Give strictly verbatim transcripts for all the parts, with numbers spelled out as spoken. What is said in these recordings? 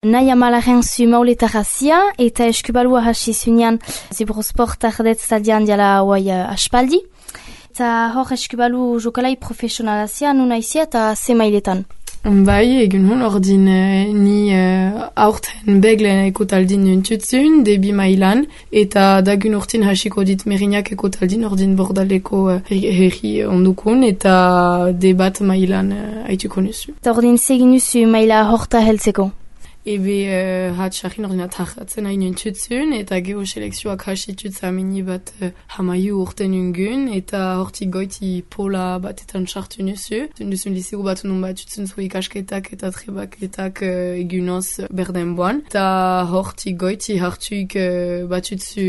Nahi amalaren zu mauletarrazia eta eskubalua hasi zunean Zibrosport ardet taldean diala hauai aspaldi. Eta hor eskubalu jokalai profesionalazia nuna izia eta ze mailetan. Bai, egun hon ordin uh, ni uh, aurten beglen ekotaldin nuntutzun, debi mailan, eta dagun urtin hasiko dit merinak ekotaldin ordin bordaleko uh, herri ondukun, eta debat mailan uh, haituko nusu. Eta ordin zegin nusu maila horta heltzeko? Ebe uh, hatxarrin ordina tarratzen hain nuntutzun, eta geho selekzioak hasitutza mini bat uh, hamaiu urten ungun, eta hortik goiti pola batetan sartu nusu. Duzun lisegu bat non bat utzun zu ikasketak eta trebaketak uh, egunoz berden boan. Eta hortik goiti hartuik uh, bat utzu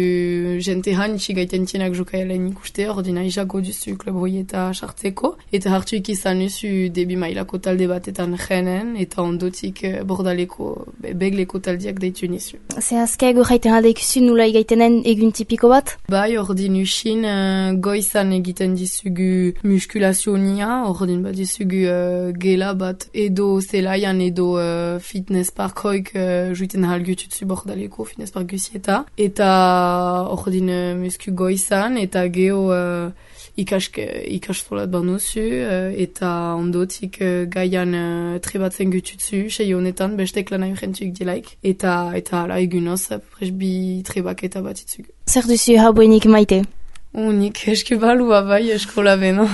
jente hanitsi gaiten tienak jokaelen ikuste, ordina izako duzu klub hoieta sartzeko. Eta hartuik izan nusu debi mailako talde batetan jenen, eta ondotik uh, bordaleko begleko taldiak deitu nizu. Ze azkego jaiten alde ikusi nula egaitenen egun tipiko bat? Bai, ordin usin uh, goizan egiten dizugu muskulazionia, ordin bat dizugu uh, gela bat edo zelaian edo uh, fitness parkoik uh, juiten halgututzu bordaleko fitness park gusieta. Eta ordin uh, musku goizan eta geho uh, ikask, ikastolat banuzu uh, eta ondotik uh, gaian uh, trebatzen gututzu, sei honetan bestek lan aurrentuik dilaik, eta eta ala egunoz, presbi trebak eta batitzugu. Zer duzu hauenik maite? Unik eskubalua bai eskola beno.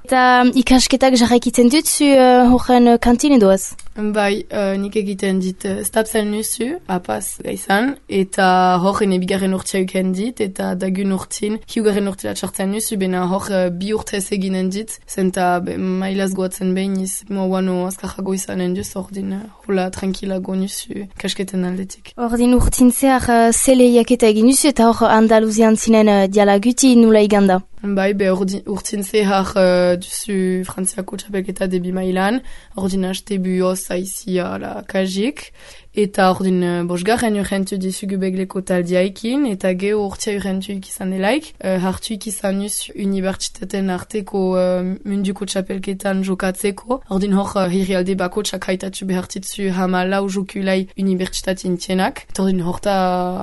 Eta ikasketak jarraikitzen dutzu uh, horren uh, kantine doaz? Bai, uh, nik egiten dit uh, stapsen nusu, apaz gaizan, eta horren ebigarren urtia uken dit, eta dagun urtin, hiugarren urtila txartzen nusu, bena hor uh, bi urtez eginen dit, zenta be, mailaz goatzen behiniz, moa wano azkarrago izanen duz, ordin uh, hola tranquilago nusu kasketen aldetik. Ordin urtin zehar uh, zeleiak eta egin nusu, eta hor Andaluzian zinen uh, dialaguti nula iganda. Bai, be urtin zehar uh, duzu frantziako txapelketa debi mailan, ordin haste buoz aizia la kajik, eta ordin uh, bosgarren urrentu dizugu begleko taldiaikin, eta geho urtia urrentu ikizan delaik, uh, hartu ikizan nuz unibertsitaten arteko uh, munduko txapelketan jokatzeko, ordin hor uh, hirrialde bako txakaitatzu behartitzu hama lau jokulai unibertsitatin tienak, eta ordin horta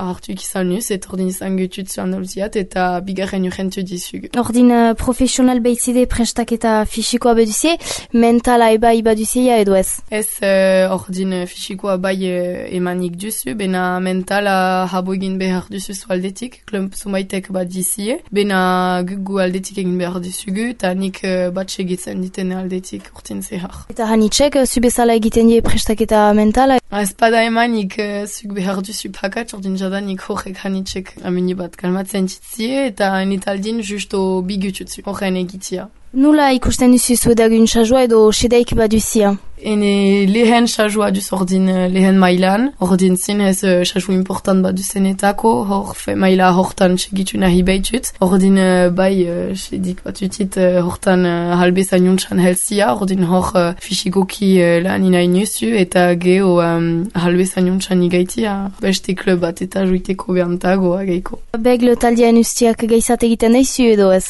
hartu ikizan nuz, eta ordin izan gututzu Andaluziat, eta bigarren urrentu dizugu. Ordin uh, profesional behitzide prestaketa fisikoa beduzie, mentala eba ibaduzie edo ez? Ez, uh, ordin fisikoa bai uh, emanik duzu, bena mentala habo egin behar duzu zu aldetik, klump zumaitek bat dizie, bena gugu aldetik egin behar duzugu, eta nik uh, bat segitzen ditene aldetik urtin zehar. Eta hanitxek, uh, zu bezala egiten die prestaketa mentala? Ez pada emanik uh, zuk behar duzu pakatz, ordin jadanik horrek hanitxek ameni bat kalmatzen ditzie, eta enitaldin justo bigututzu, horren egitia. Nula ikusten duzu zuedagun txajua edo sedaik baduzia? Ene lehen txajua duz ordin lehen mailan, ordin zinez txaju important bat duzenetako, hor fe maila hortan segitu nahi behitut, ordin bai sedik bat utit hortan halbezan jontxan helzia, ordin hor fisikoki lan inai nuzu, eta geho um, halbezan jontxan igaitia, beste klub bat eta juiteko behantago ageiko. Begle taldean ustiak gaizat egiten daizu edo ez?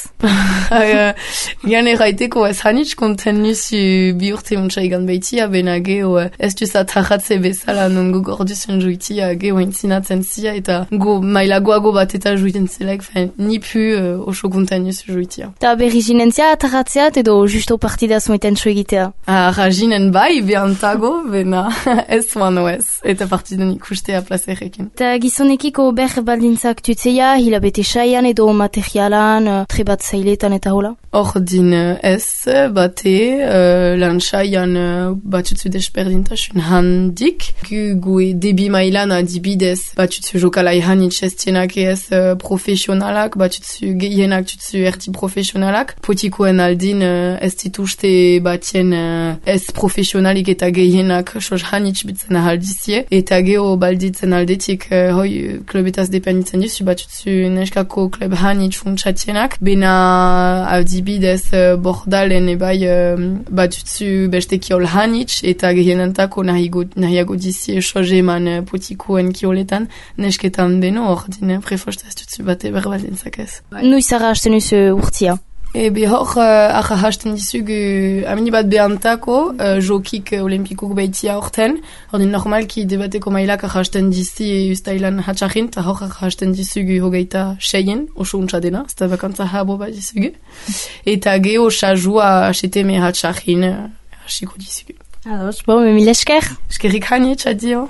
Gian erraiteko ez hanitz konten nuzu bi urte jontxa igan behit Tia bena geho ez duza tarratze bezala non go gorduzen juitia geho entzinatzen zia eta go mailagoago bat eta juiten zelek fen nipu uh, oso kontainuz juitia. Ta berri jinentzia tarratzeat edo justo partida zueten egitea? Ah, rajinen bai behantago bena ez wano ez eta partidan ikustea plazerekin. Ta gizonekiko ber baldintzak tutzeia hilabete saian edo materialan trebat zailetan eta hola? Ordin ez bate uh, lan saian uh, batutzu desperdintasun handik. Gu gu debi mailan adibidez batutzu jokalai hanitz ez tienak ez uh, profesionalak, batutzu gehienak tutzu erti profesionalak. Potikoen aldin uh, ez dituzte batien uh, ez profesionalik eta gehienak sos hanitz bitzen ahaldizie. Eta geho balditzen aldetik uh, hoi klubetaz dependitzen duzu batutzu neskako klub hanitz funtsatienak. Bena adibidez uh, bordalen ebai uh, batutzu beste kiol hanitz, eta gehienantako nahiago dizie soje eman uh, potikoen kioletan, nesketan beno, ordine prefosta ez dutzu bate berbaldintzak ez. Nuizara hasten uzu urtia? Ebe hor uh, acha hasten dizugu amini bat behantako uh, jokik olimpikuk baitia horten. Hordin normalki debateko mailak acha hasten dizi ustailan hatxarrin, eta hor acha hasten dizugu hogeita seien, oso untsa dena, zta bakantza habo bat dizugu. Eta geho sajua aseteme hatxarrin hasiko dizugu. Ados, bon, mil esker. Eskerrik hani, txadio.